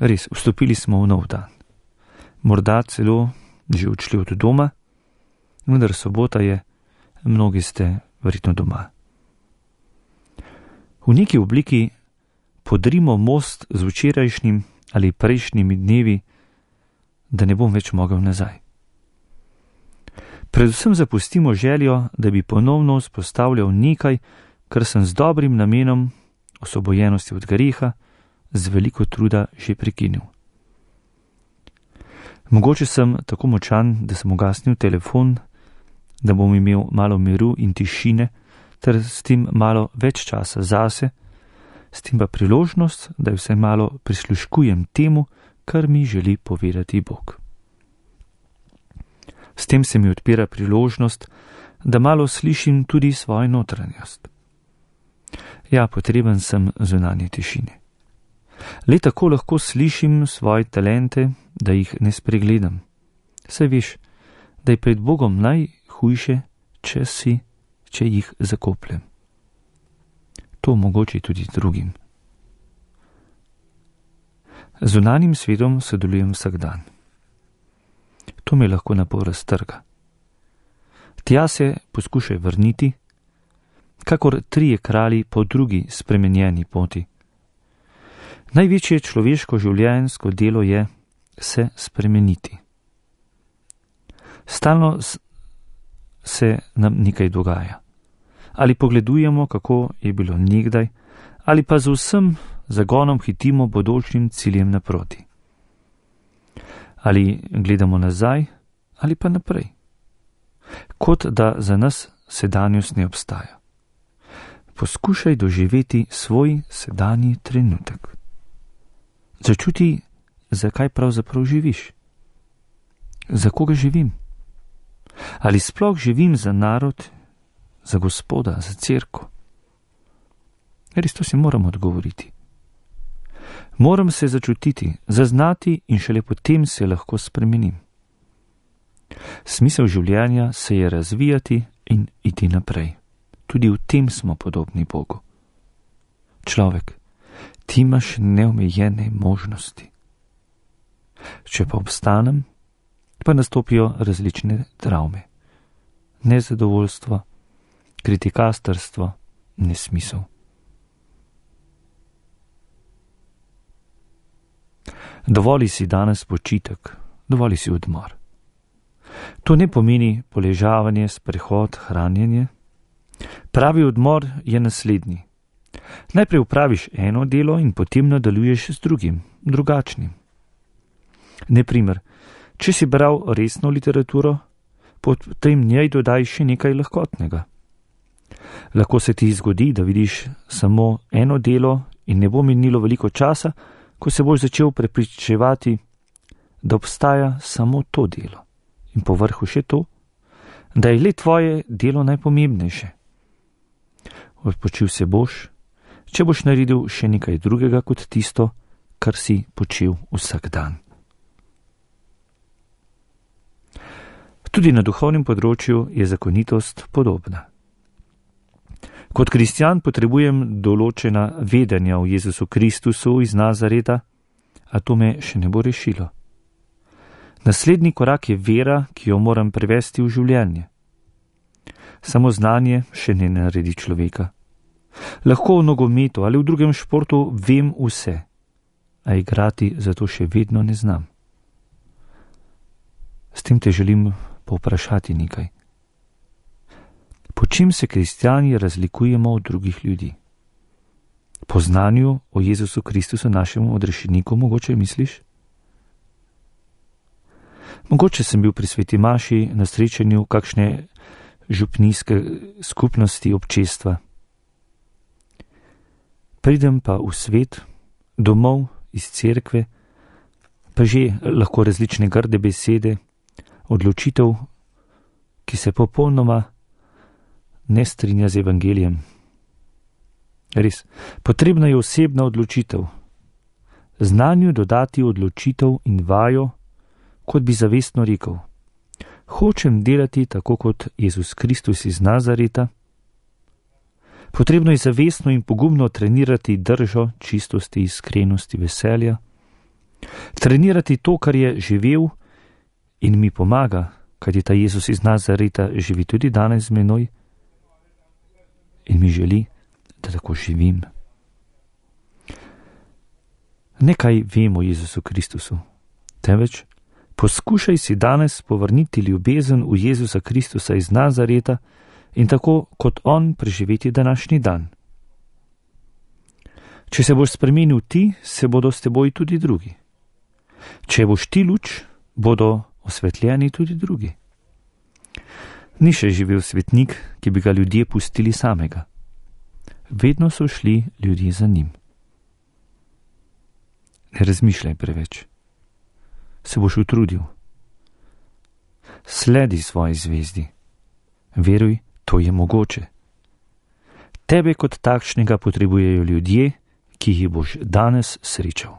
Res, vstopili smo v nov dan. Morda celo že odšli od doma, vendar sobota je, mnogi ste verjetno doma. V neki obliki podrimo most z včerajšnjim ali prejšnjimi dnevi, da ne bom več mogel nazaj. Predvsem zapustimo željo, da bi ponovno vzpostavljal nekaj, kar sem z dobrim namenom osvobojenosti od greha z veliko truda že prekinil. Mogoče sem tako močan, da sem ugasnil telefon, da bom imel malo miru in tišine, ter s tem malo več časa zase, s tem pa priložnost, da vse malo prisluškujem temu, kar mi želi povedati Bog. S tem se mi odpira priložnost, da malo slišim tudi svojo notranjost. Ja, potreben sem zunanje tišine. Le tako lahko slišim svoje talente, da jih ne spregledam. Saj veš, da je pred Bogom najhujše, če jih zakopljem. To omogoči tudi drugim. Z zunanjim svetom sodelujem vsak dan. To me lahko napol raztrga. Tja se poskušaj vrniti, kakor 3 kralji po drugi spremenjeni poti. Največje človeško življenjsko delo je se spremeniti. Stalno se nam nekaj dogaja. Ali pogledujemo, kako je bilo nekdaj, ali pa z vsem zagonom hitimo bodočim ciljem naproti. Ali gledamo nazaj, ali pa naprej. Kot da za nas sedanjost ne obstaja. Poskušaj doživeti svoj sedanji trenutek. Začuti, zakaj pravzaprav živiš. Za koga živim? Ali sploh živim za narod, za Gospoda, za cerkev? Res to si moram odgovoriti. Moram se začutiti, zaznati in šele potem se lahko spremenim. Smisel življenja se je razvijati in iti naprej. Tudi v tem smo podobni Bogu. Človek, ti imaš neomejene možnosti. Če pa obstanem, pa nastopijo različne travme. Nezadovoljstvo, kritikastrstvo, nesmisel. Dovoli si danes počitek, dovoli si odmor. To ne pomeni poležavanje, sprehod, hranjenje. Pravi odmor je naslednji. Najprej upraviš eno delo in potem nadaljuješ z drugim, drugačnim. Naprimer, če si bral resno literaturo, potem njej dodaj še nekaj lahkotnega. Lahko se ti zgodi, da vidiš samo eno delo in ne bo minilo veliko časa, ko se boš začel prepričevati, da obstaja samo to delo. In povrhu še to, da je le tvoje delo najpomembnejše. Odpočil se boš, če boš naredil še nekaj drugega kot tisto, kar si počel vsak dan. Tudi na duhovnem področju je zakonitost podobna. Kot kristjan potrebujem določena vedenja o Jezusu Kristusu iz Nazareta, a to me še ne bo rešilo. Naslednji korak je vera, ki jo moram prevesti v življenje. Samo znanje še ne naredi človeka. Lahko v nogometu ali v drugem športu vem vse, a igrati zato še vedno ne znam. S tem te želim povprašati nekaj. Po čem se kristjani razlikujemo od drugih ljudi? Po znanju o Jezusu Kristusu, našemu odrešeniku, mogoče misliš? Mogoče sem bil pri sveti maši na srečanju kakšne župnijske skupnosti občestva. Pridem pa v svet, domov, iz cerkve, pa že lahko različne grde besede, odločitev, ki se popolnoma ne strinja z evangelijem. Res, potrebna je osebna odločitev. Znanju dodati odločitev in vajo, kot bi zavestno rekel: hočem delati tako kot Jezus Kristus iz Nazareta. Potrebno je zavestno in pogumno trenirati držo, čistosti, iskrenosti, veselja. Trenirati to, kar je živel in mi pomaga, kajti ta Jezus iz Nazareta živi tudi danes z menoj in mi želi, da tako živim. Nekaj vem o Jezusu Kristusu, temveč poskušaj si danes povrniti ljubezen v Jezusa Kristusa iz Nazareta in tako kot on preživeti današnji dan. Če se boš spremenil ti, se bodo s teboj tudi drugi. Če boš ti luč, bodo osvetljeni tudi drugi. Ni še živel svetnik, ki bi ga ljudje pustili samega. Vedno so šli ljudje za njim. Ne razmišljaj preveč. Se boš utrudil. Sledi svoji zvezdi. Veruj, to je mogoče. Tebe kot takšnega potrebujejo ljudje, ki jih boš danes srečal.